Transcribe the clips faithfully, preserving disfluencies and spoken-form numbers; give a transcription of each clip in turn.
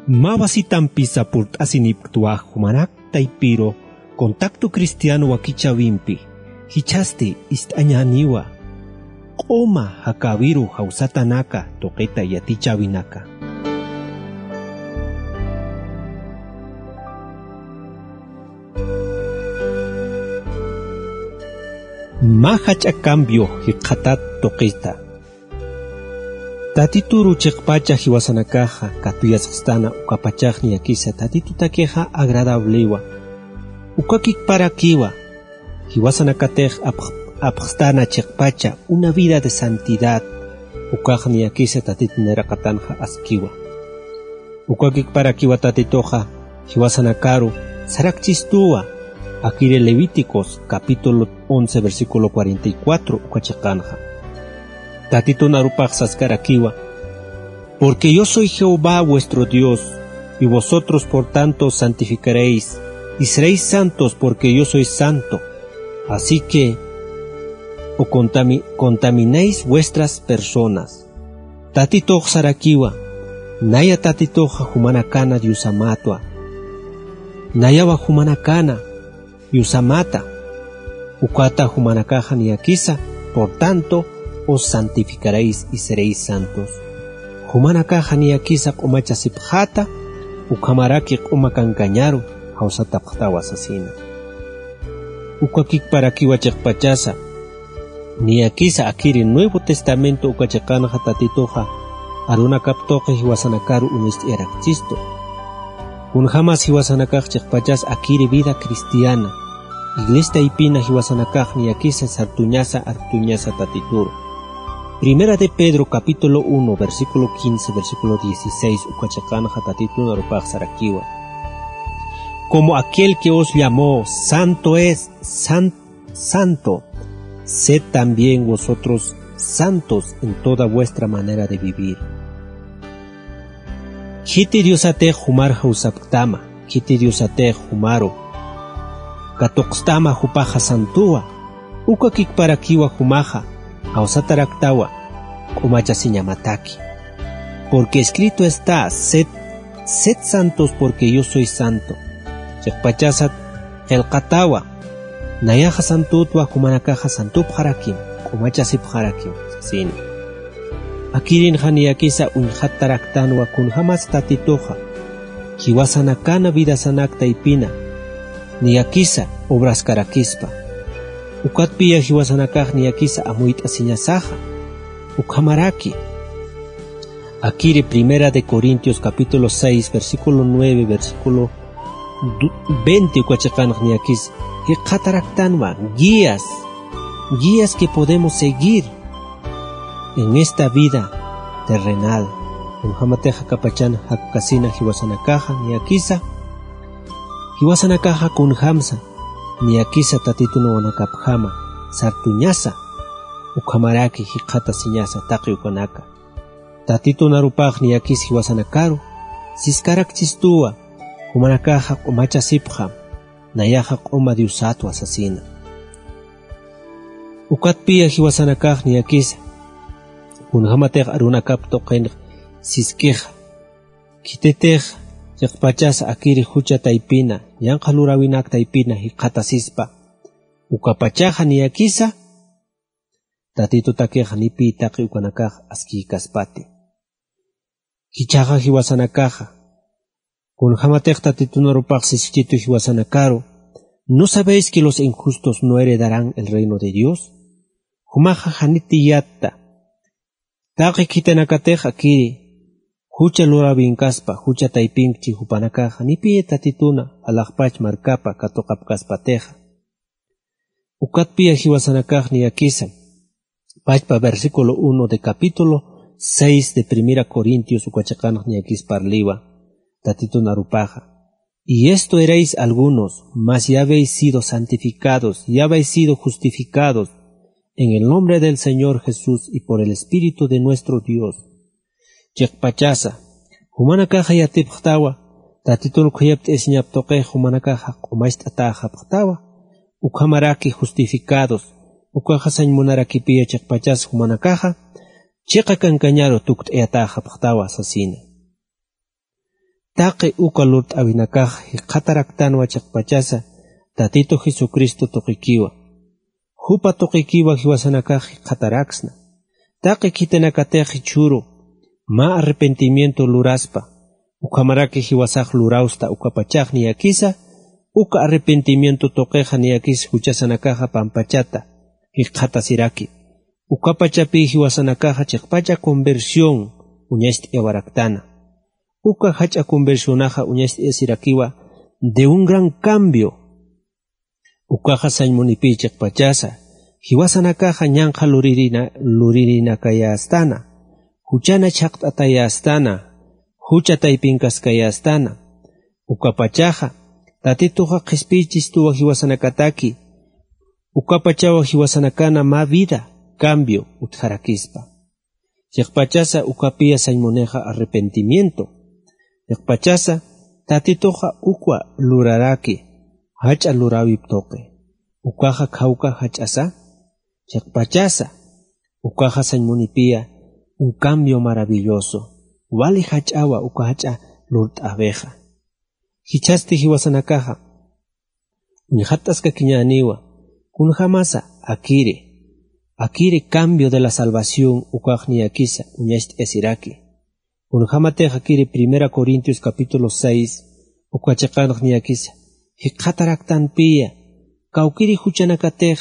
Mä wasitampisa purt'asinipktwa jumanak taypiru Contacto Cristiano wakichäwimpi, jichhasti ist'añäniwa q'uma jakäwiru jawsatanaka tuqita yatichäwinaka. Mä jach'a cambio jikxatat tuqita. Tatituru chiqpacha jiwasanakaxa katuyasxstana ukapachax niyakisa Tatitutakixa agradablewa. Ukakikparakiwa jiwasanakatix apx-, apxstana chiqpacha una vida de santidad, ukax niyakisa Tatitu nayraqatanxa askiwa. Ukakikparakiwa Tatituxa jiwasanakaru sarakchistuwa, akiri Levíticos capítulo once, versículo cuarenta y cuatro uka chiqanxa. Tatitun arupax saskarakiwa: Porque yo soy Jehová vuestro Dios, y vosotros por tanto os santificaréis, y seréis santos, porque yo soy santo. Así que, o contami-, contaminéis vuestras personas. Tatitux sarakiwa, naya Tatituxa jumanakana Diosamatwa. Nayawa jumanakana Diosamata. Ukata jumanakaxa niyakisa, por tanto, os santificaréis y seréis santos. Jumanakaxa niyakisa q'umachasipxäta, ukhamaraki q'uma kankañaru jawsatapxtawa sasina. Ukakikparakiwa chiqpachasa niyakisa akiri Nuevo Testamento uka chiqanxa Tatituxa arunakap tuqi jiwasanakaru uñacht'ayarakchistu. Kunjamas jiwasanakax chiqpachas akiri vida cristiana, iglesia taypina jiwasanakax niyakisa sartuñasa artuñasa Tatituru. Primera de Pedro capítulo uno, versículo quince, versículo dieciséis uka chiqanxa Tatitun arupax sarakiwa: Como aquel que os llamó santo es, san-, santo, sed también vosotros santos en toda vuestra manera de vivir. Khiti Diosatix jumar jawsapktama, khiti Diosatix jumaru katuqstama jupaxa santuwa, ukakikparakiwa jumaxa jawsataraktawa q'umachasiñamataki. Porque escrito está: Sed, sed santos porque yo soy santo. Chiqpachasat qillqatawa, nayaxa santutwa, jumanakaxa santupxarakim, q'umachasipxarakim, sasina. Akirinxa niyakisa uñjataraktanwa kunjamas Tatituxa jiwasanakana vidasanak taypina niyakisa obraskarakispa. Ukatpiya jiwasanakax niyakisa amuyt'asiñasaxa. Ukhamaraki akiri Primera de Corintios capítulo seis, versículo nueve, versículo du-, veinte uka chiqanx niyakisa jikxataraktanwa guías, guías que podemos seguir en esta vida terrenal. Kunjamatixa akapachan jakkasina jiwasanakaxa niyakisa, jiwasanakaxa kunjamsa niyakisa Tatitun wawanakapjama sartuñasa, ukhamaraki jikxatasiñasa taqi ukanaka. Tatitun arupax niyakis jiwasanakaru siskarakchistuwa, jumanakaxa q'umachasipxam, nayaxa q'uma Diosatwa sasina. Ukatpiya jiwasanakax niyakisa kunjamatix arunakap tuqinx siskixa, khititix chiqpachas akiri jucha taypina, yanqa luräwinak taypina jikxatasispa, ukapachaxa niyakisa Tatitutakixa nipiy taqi ukanakax askïkaspati. Jichhaxa jiwasanakaxa kunjamatix Tatitun arupax siskitu jiwasanakaru: ¿No sabéis que los injustos no heredarán el reino de Dios? Jumaxa janiti yatta taqi khitinakatix akiri jucha luräwinkaspa, jucha taypinkchi jupanakaxa nipiy Tatituna alaxpach markapa katuqapkaspatixa. Ukatpiya jiwasanakax niyakisa pachpa versículo uno de capítulo seis de Primera Corintios uka chiqanx niyakis parliwa Tatitun arupaxa: Y esto erais algunos, mas ya habéis sido santificados, ya habéis sido justificados en el nombre del Señor Jesús y por el Espíritu de nuestro Dios. Chiqpachasa jumanakaxa yatipxtawa, Tatitun khuyapt'isiñap tuqix jumanakaxa q'umacht'atäxapxtawa, ukhamaraki justificados, ukaxa sañ munarakipiya chiqpachas jumanakaxa chiqa kankañaru tukt'ayatäxapxtawa sasina. Taqi uka lurt'awinakax jikxataraktanwa chiqpachasa Tatitu Jesucristo tuqikiwa. Jupa tuqikiwa jiwasanakax jikxataraksna. Taqi khitinakatix jichhüru mä arrepentimiento luraspa, ukhamaraki jiwasax lurawsta ukapachax niyakisa, uka arrepentimiento tuqixa niyakis juchasanakaxa pampachata jikxatasiraki. Ukapachapï jiwasanakaxa chiqpacha conversión uñacht'ayawaraktana. Uka jach'a conversionaxa uñacht'ayasirakiwa de un gran cambio. Ukaxa sañ munipï chiqpachasa, jiwasanakaxa ñanqha luririna-, luririnakayästana, juchana chhaqt'atayästana, jucha taypinkaskayästana. Ukapachaxa, Tatituxa qhispiychistuwa jiwasanakataki, ukapachawa jiwasanakana mä vida, cambio, utjarakispa. Chiqpachasa ukapiya sañ munixa arrepentimiento. Chiqpachasa Tatituxa ukwa luraraki, jach'a luräwip tuqi. Ukaxa khawka jach'asa. Chiqpachasa ukaxa sañ munipiya un cambio maravilloso. Wali jach'awa uka jach'a lurt'äwixa. Jichhasti jiwasanakaxa uñjatt'askakiñäniwa, kunjamasa akiri, akiri cambio de la salvación ukax niyakisa uñacht'ayasiraki. Kunjamatix akiri Primera Corintios capítulo seis uka chiqanx niyakisa jikxataraktanpiya, kawkiri juchanakatix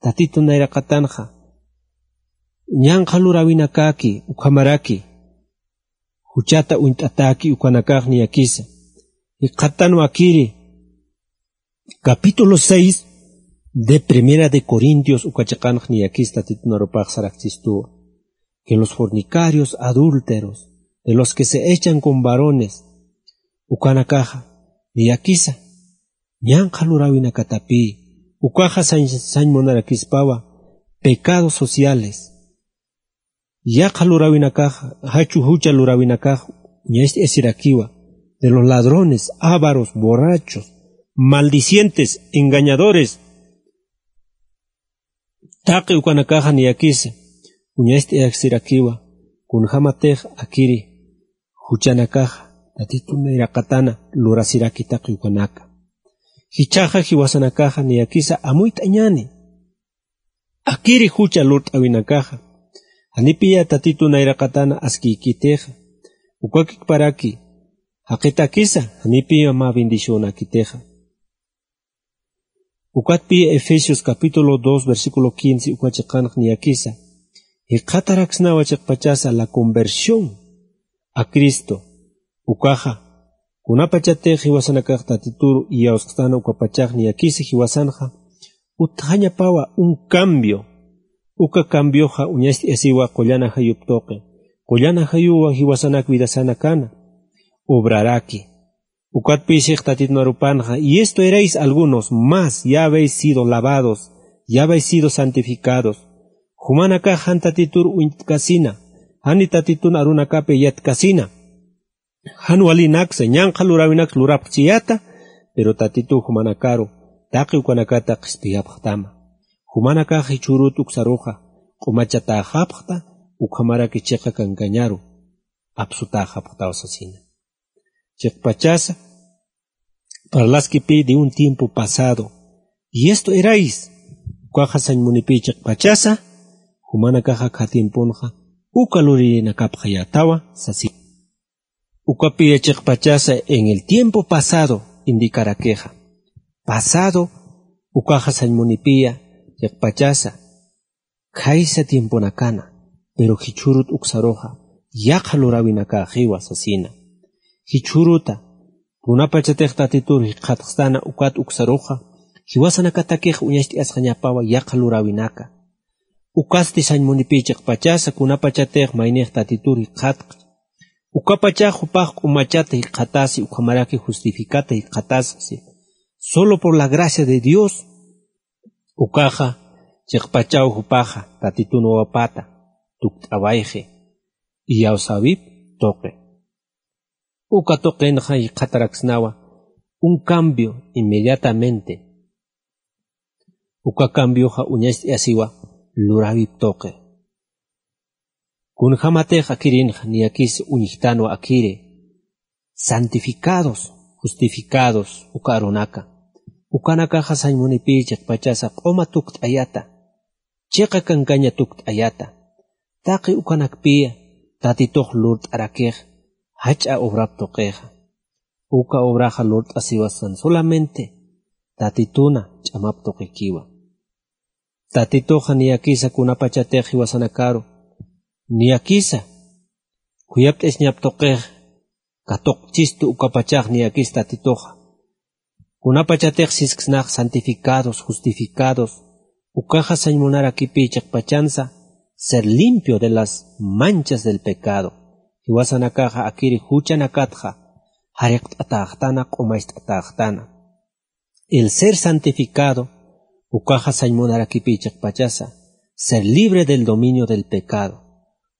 Tatitu nayraqatanxa ñanqha luräwinakäki ukhamaraki juchata uñt'atäki ukanakax niyakisa. Jikxattanwa akiri capítulo seis de Primera de Corintios uka chiqanx niyakis Tatitun arupax saraksistuwa, que los fornicarios, adúlteros, de los que se echan con varones, ukanakaxa niyakisa ñanqha luräwinakatapï, ukaxa sañ, sañ munarakispawa pecados sociales. Yaqha luräwinakax, jachu jucha luräwinakax uñacht'ayasirakiwa, de los ladrones, ávaros, borrachos, maldicientes, engañadores. Taqi ukanakaxa niyakisa uñacht'ayasirakiwa, kunjamatix akiri juchanakaxa Tatitun nayraqatana lurasiraki taqi ukanaka. Jichhaxa jiwasanakaxa niyakisa amuyt'añäni. Akiri jucha lurt'awinakaxa, janipiya Tatitu nayraqatana askiykitixa, ukakikparaki jaqitakisa, janipiya mä bendicionakitixa. Ukatpiya Efesios capítulo dos, versículo quince uka chiqanx niyakisa, jikxataraksnawa chiqpachasa la conversión a Cristo. Ukaxa, kunapachatix jiwasanakax Tatitur iyawsxtana ukapachax niyakisa jiwasanxa, utjañapawa un cambio. Uka cambioxa uñacht'ayasiwa qullana jayup tuqi. Qullana jayuwa jiwasanak vidasanakana obraraki. Ukatpï six Tatitun arupanxa, y esto erais algunos más, ya habéis sido lavados, ya habéis sido santificados. Jumanakax jan Tatitur uñtkasina, jani Tatitun arunakapi yatkasina. Jan walinaksa, ñanqha luräwinaks lurapxchiyäta, pero Tatitu jumanakaru taqi ukanakata qhispiyapxtama. Jumanakax jichhürut uksaruxa q'umachatäxapxta, ukhamaraki chiqa kankañaru apsutäxapxtaw sasina. Chiqpachasa, parlaskipï de un tiempo pasado, y esto erais, ukaxa sañ munipï chiqpachasa, jumanakaxa akha tiemponxa uka luririnakapxayätawa sasi. Ukapiya chiqpachasa en el tiempo pasado indicarakixa. Pasado, ukaxa sañ munipiya chiqpachasa, khaysa tiemponakana, pero jichhürut uksaruxa yaqha luräwinakäxiwa sasina. Jichhüruta, kunapachatix Tatitur jikxatxstana ukat uksaruxa, jiwasanakatakix uñacht'ayasxañapawa yaqha luräwinaka. Ukasti sañ munipï chiqpachasa, kunapachatix maynix Tatitur jikxatxa, ukapachax jupax q'umachat jikxatasi, ukhamaraki justificat jikxatasxsi, solo por la gracia de Dios. Ukaxa, chiqpachaw jupaxa Tatitun wawapata tukt'awayxi, iyawsäwip tuqi. Uka tuqinxa jikxataraksnawa un cambio inmediatamente. Uka cambioxa uñacht'ayasiwa luräwip tuqi. Kunjamatix akirinxa niyakis uñjtanwa akiri, santificados, justificados, uka arunaka. Ukanakaxa sañ munipï chiqpachasa q'uma tukt'ayata, chiqa kankaña tukt'ayata. Taqi ukanakpï Tatitux lurt'arakix jach'a obrap tuqixa. Uka obraxa lurt'asiwasan solamente Tatituna ch'amap tuqikiwa. Tatituxa niyakisa kunapachatix jiwasanakaru, niyakisa khuyapt'isiñap tuqix katuqchistu ukapachax niyakis Tatituxa. Kunapachatix sisksnax santificados, justificados, ukaxa sañ munarakipï chiqpachansa ser limpio de las manchas del pecado. Jiwasanakaxa akiri juchanakatxa jariqt'atäxtana, q'umacht'atäxtana. El ser santificado, ukaxa sañ munarakipï chiqpachasa ser libre del dominio del pecado.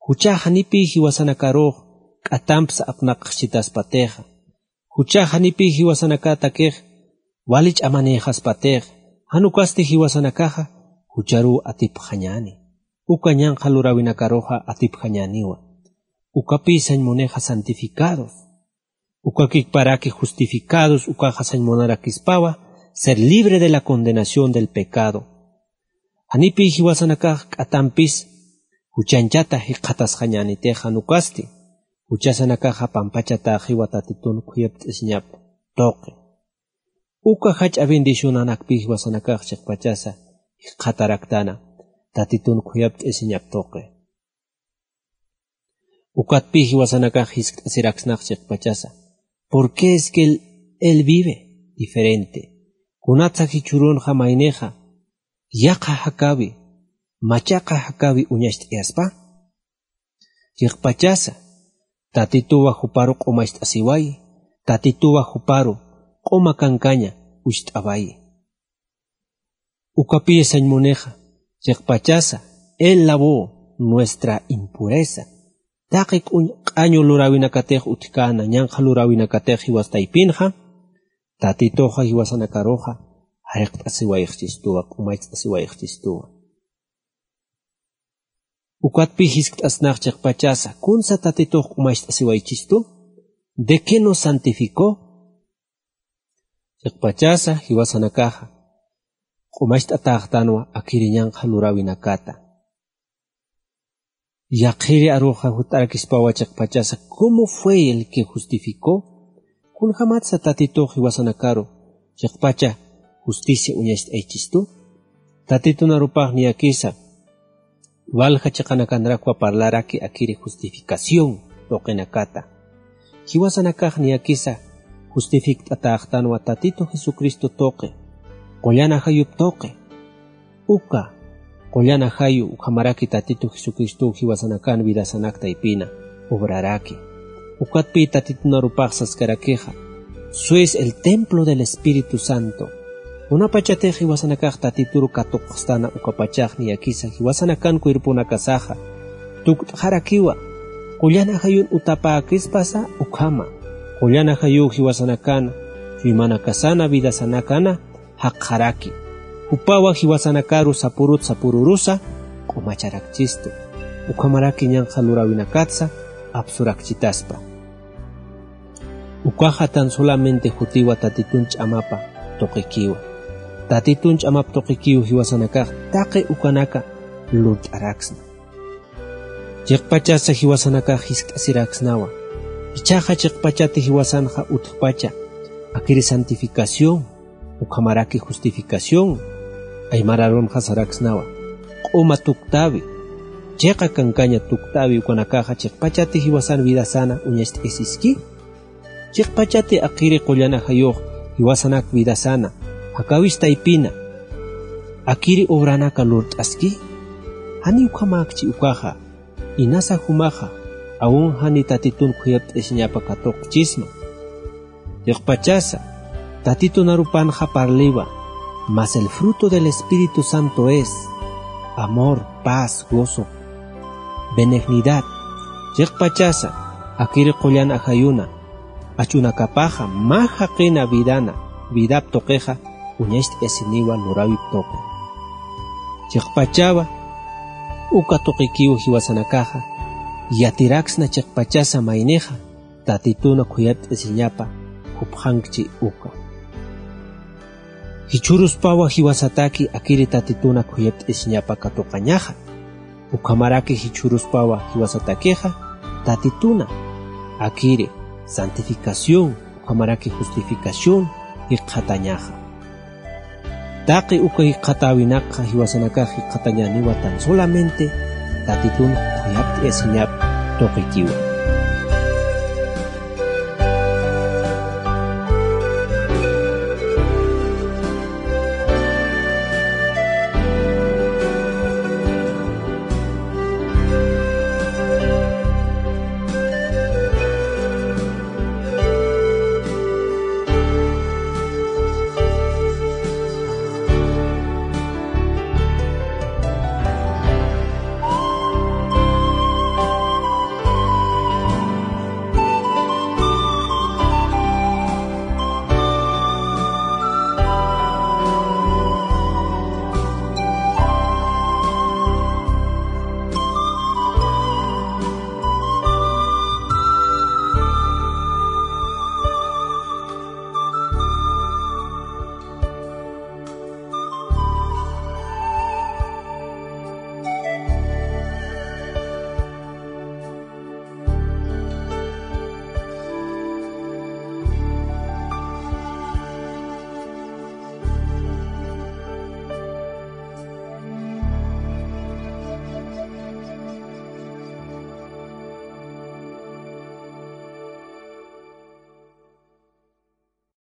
Juchax janipï jiwasanakarux k'atampsa apnaqxchitaspatixa. Juchax janipï jiwasanakätakix wali ch'amanïxaspatixa. Jan ukasti jiwasanakaxa jucharuw atipxañäni. Uka ñanqha luräwinakaruxa atipxañäniwa. Ukapï sañ munixa santificados. Ukakikparaki justificados, ukaxa sañ munarakispawa ser libre de la condenación del pecado. Janipï jiwasanakax k'atampis juchanchata jikxatasxañänitix jan ukasti, juchasanakaxa pampachatäxiwa Tatitun khuyapt'isiñap tuqi. Uka jach'a bendicionanakpï jiwasanakax chiqpachasa jikxataraktana Tatitun khuyapt'isiñap tuqi. Ukatpï jiwasanakax jiskt'asiraksnax chiqpachasa: ¿Por qué es que él, él vive diferente? Kunatsa jichhürunxa maynixa yaqha jakäwi, machaqa jakäwi uñacht'ayaspa? Chiqpachasa, Tatituwa juparu q'umacht'asiwayi, Tatituwa juparu q'uma kankaña ucht'awayi. Ukapï sañ munixa, chiqpachasa, él lavó nuestra impureza. Taqi q'uñ-, q'añu luräwinakatix utjkäna, ñanqha luräwinakatix jiwas taypinxa, Tatituxa jiwasanakaruxa jariqt'asiwayxchistuwa, q'umacht'asiwayxchistuwa. Ukatpï jiskt'asnax chiqpachasa, ¿kunsa Tatitux q'umacht'asiwaychistu? ¿De qué nos santificó? Chiqpachasa jiwasanakaxa q'umacht'atäxtanwa akiri ñanqha luräwinakata. Yaqhiri aruxa jut'arakispawa chiqpachasa, ¿cómo fue el que justificó? Kunjamatsa Tatitux jiwasanakaru chiqpacha justicia uñacht'aychistu? Tatitunarupax niyakisa walja chiqanakanrakwa parlaraki akiri justificación tuqinakata. Jiwasanakax niyakisa justifikt'atäxtanwa Tatitu Jesucristo tuqi, qullan ajayup tuqi. Uka qullan ajayu ukhamaraki Tatitu Jesucristow jiwasanakan vidasanak taypina obraraki. Ukatpï Tatitunarupax saskarakixa: Sois el templo del Espíritu Santo. Kunapachatix jiwasanakax Tatituru katuqxstana ukapachax niyakisa jiwasanakan cuerponakasaxa tukt'xarakiwa, qullan ajayun utapäkispasa ukhama, qullan ajayuw jiwasanakan chuymanakasana vidasanakana jaqxaraki. Jupawa jiwasanakaru sapurut sapururusa q'umacharakchistu. Ukhamaraki ñanqha luräwinakatsa apsurakchitaspa. Ukaxa tan solamente jutiwa Tatitun ch'amapa tuqikiwa. Tatitun ch'amap tuqikiw jiwasanakax taqi ukanaka lurt'araksna. Chiqpachasa jiwasanakax jiskt'asiraksnawa. Jichhaxa chiqpachati jiwasanxa utjpacha akiri santificación, ukhamaraki justificación, aymar arunxa saraksnawa: Q'uma tuktäwi, chiqa kankaña tuktäwi ukanakaxa chiqpachati jiwasan vidasana uñacht'ayasiski. Chiqpachati akiri qullan ajayux jiwasanak vidasana jakäwis taypina akiri obranaka lurt'aski. Jani ukhamäkchi ukaxa, inasa jumaxa aun jani Tatitun khuyapt'asiñapa katuqchisma. Chiqpachasa Tatitunarupanxa parliwa: Mas el fruto del Espíritu Santo es amor, paz, gozo, benignidad. Chiqpachasa akiri qullan ajayuna achunakapaxa mä jaqina vidana, vidap tuqixa uñacht'ayasiniwa luräwip tuqi. Chiqpachawa uka tuqikiw jiwasanakaxa yatiraksna chiqpachasa maynixa Tatituna khuyapt'isiñapa jupxankchi uka. Jichhüruspawa jiwasataki akiri Tatituna khuyapt'isiñapa katuqañaxa. Ukhamaraki jichhüruspawa jiwasatakixa Tatituna akiri santificación ukhamaraki justificación jikxatañaxa. Taqi uka jikxatäwinakxa jiwasanakax jikxatañäniwa tan solamente Tatitun khuyapt'isiñap tuqikiwa.